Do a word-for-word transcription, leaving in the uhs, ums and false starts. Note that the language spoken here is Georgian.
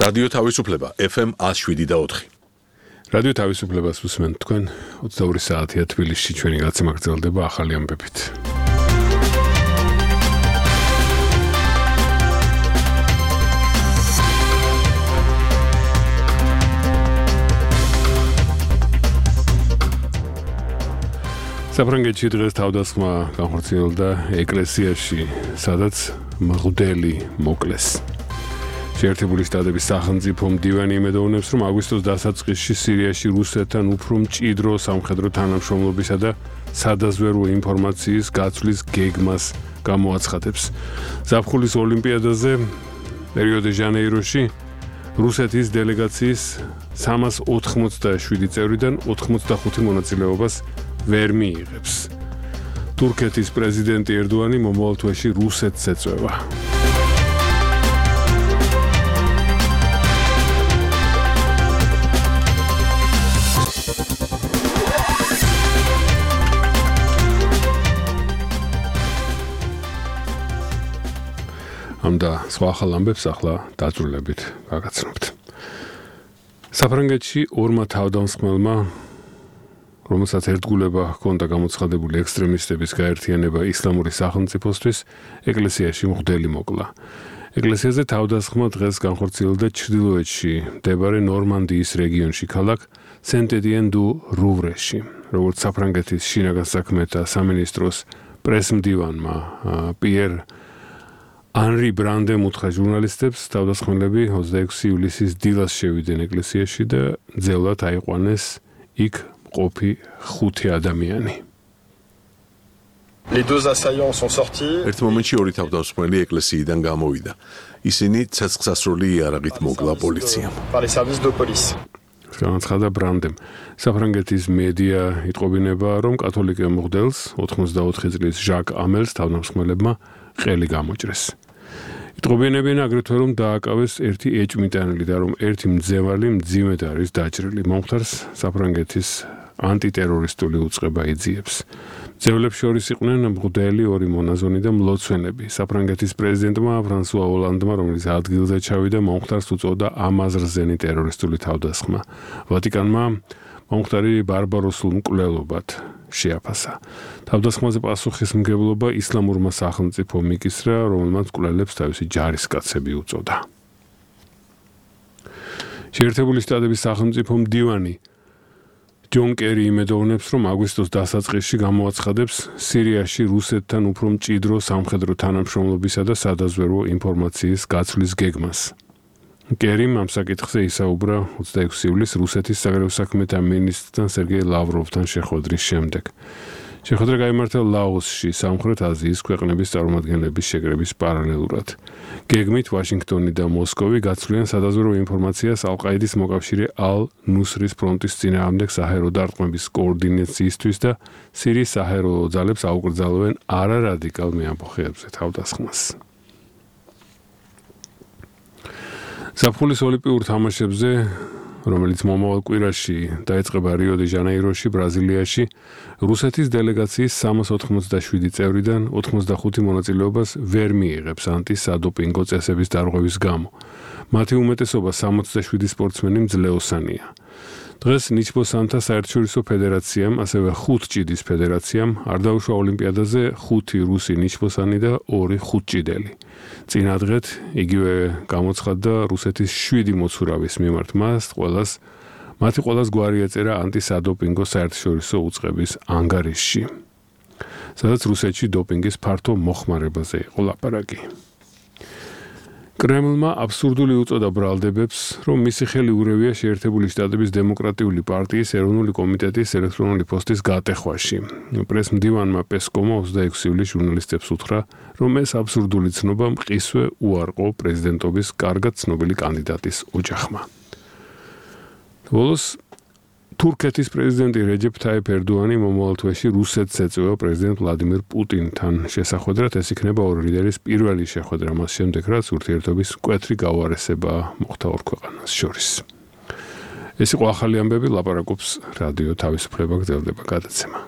რადიო თავისუფლება ეფ ემ one oh seven და four. რადიო თავისუფლებას უსმენთ თქვენ ოცდაორი საათია თბილისში ჩვენი გაცემა გრძელდება ახალი ამბებით. საფრანგეთში დღეს თავდასხმა განხორციელდა ეკლესიაში, სადაც მღვდელი მოკლეს. შეერთებული შტატების სახელმწიფო მდივანი იმედოვნებს, რომ აგვისტოს დასაწყისში სირიაში რუსეთთან უფრო მჭიდრო სამხედრო თანამშრომლობისა და სადაზვერვო ინფორმაციის გაცვლის გეგმას გამოაცხადებს. ზაფხულის ოლიმპიადაზე რიო-დე-ჟანეიროში რუსეთის დელეგაციის სამას ოთხმოცდაშვიდი წევრიდან ოთხმოცდახუთი მონაწილეობას ვერ მიიღებს. თურქეთის პრეზიდენტი ერდოანი მომავალ თვეში რუსეთს ეწევა. ამ და სხვა ახალ ამბებს ახლა დაწვრილებით გაგაცნობთ. საფრანგეთში ორმა თავდამსხმელმა, რომელსაც ერთგულება ჰქონდა გამოცხადებული ექსტრემისტების გაერთიანება ისლამური სახელმწიფოსთვის, ეკლესიაში მღვდელი მოკლა. ეკლესიაზე თავდასხმა დღეს განხორციელდა ჩრდილოეთში მდებარე ნორმანდიის რეგიონში ქალაქ სენტ-ეტიენ-დუ-რუვრეში, როგორც საფრანგეთის შინაგან საქმეთა სამინისტროს პრესმდივანმა პიერ ანრი ბრანდემ უთხრა ჟურნალისტებს, თავდასხმელები ოცდაექვსი ივლისის დილას შევიდნენ ეკლესიაში და ძელად აიყვანეს იქ მყოფი ხუთი ადამიანი. Les deux assaillants sont sortis. ერთ მომენტში ორი თავდამსხმელი ეკლესიიდან გამოვიდა. ისინი ცეცხლსასროლი იარაღით მოკლა პოლიციამ. Par les services de police. განაცხადა ბრანდემ. საფრანგეთის მედია იტყობინება, რომ კათოლიკე მღვდელს ოთხმოცდაოთხი წლის ჟაკ ამელს თავდამსხმელებმა ყელი გამოჭრეს. იტყობინებიან აგრეთვე, რომ დააკავეს ერთი ეჭვმიტანილი და რომ ერთი მძევალი მძიმედ არის დაჭრილი. მომხდარს საფრანგეთის ანტიტერორისტული უწყება იძიებს. მძევლებს შორის იყვნენ მღვდელი, ორი მონაზონი და მლოცველები. საფრანგეთის პრეზიდენტმა ფრანსუა ოლანდმა, რომელიც ადგილზე ჩავიდა, მომხდარს უწოდა ამაზრზენი ტერორისტული თავდასხმა. ვატიკანმა მომხდარი ბარბაროსულ მკვლელობად შეაფასა. თავდასხმაზე პასუხისმგებლობა ისლამურმა სახელმწიფომ მიკისრა, რომელმაც მკვლელებს თავისი ჯარისკაცები უწოდა. შეერთებული შტატების სახელმწიფო მდივანი ჯონ კერი იმედოვნებს, რომ აგვისტოს დასაწყისში გამოაცხადებს სირიაში რუსეთთან უფრო მჭიდრო სამხედრო თანამშრომლობისა და სადაზვერვო ინფორმაციის გაცვლის გეგმას. კერიმ ამ საკითხზე ისაუბრა ოცდაექვსი ივლისს რუსეთის საგარეო საქმეთა მინისტრთან სერგეი ლავროვთან შეხვედრის შემდეგ. შეხვედრა გაიმართა ლაოსში, სამხრეთ აზიის ქვეყნების წარმომადგენლების შეკრების პარალელურად. გეგმით ვაშინგტონი და მოსკოვი გაცვლიან სადაზვერვო ინფორმაციას ალ-ყაიდის მოკავშირე ალ-ნუსრის ფრონტის წინააღმდეგ საჰაერო დარტყმების კოორდინაციისთვის და სირიის საჰაერო ძალებს აუკრძალავენ არარადიკალ მეამბოხეებზე თავდასხმას. ზაფხულის ოლიმპიურ თამაშებზე, რომელიც მომავალ კვირაში დაიწყება რიო-დე-ჟანეიროში, ბრაზილიაში, რუსეთის დელეგაციის სამას ოთხმოცდაშვიდი წევრიდან ოთხმოცდახუთი მონაწილეობას ვერ მიიღებს ანტისადოპინგო წესების დარღვევის გამო. მათი უმეტესობა სამოცდაშვიდი სპორტსმენი მძლეოსანია. დღეს ნიჩბოსანთა საერთაშორისო ფედერაციამ, ასევე ხუთ ჭიდის ფედერაციამ არ დაუშვა ოლიმპიადაზე ხუთი რუსი ნიჩბოსანი და ორი ხუთჭიდელი. წინადღეთ იგივე გამოცხადდა რუსეთის შვიდი მოცურავის მიმართ მას ყველას მათი ყველას გვარი ეწერა ანტისადოპინგო საერთაშორისო უწყების ანგარიშში, სადაც რუსეთში დოპინგის ფართო მოხმარებაზე იყო ლაპარაკი. კრემლმა აბსურდული უწოდა ბრალდებებს, რომ მისი ხელი ურევია შეერთებული შტატების დემოკრატიული პარტიის ეროვნული კომიტეტის ელექტრონული პოსტის გატეხვაში. პრესმდივანმა პესკომმა ოცდაექვსი ივლისს ჟურნალისტებს უთხრა, რომ ეს აბსურდული ცნობა მყისვე უარყო პრეზიდენტობის კარგად ცნობილი კანდიდატის ოჯახმა. ბოლოს თურქეთის პრეზიდენტი რეჯეფ თაიფ ერდოანი მომავალ თვეში რუსეთს ეწევა პრეზიდენტ ვლადიმირ პუტინთან შესახვედრად. ეს იქნება ორი ლიდერის პირველი შეხვედრა მას შემდეგ, რაც ურთიერთობის მკვეთრი გაუარესება მოხდა ორ ქვეყანას შორის. ეს იყო ახალი ამბები, ლაპარაკობს რადიო თავისუფლება, გრძელდება გადაცემა.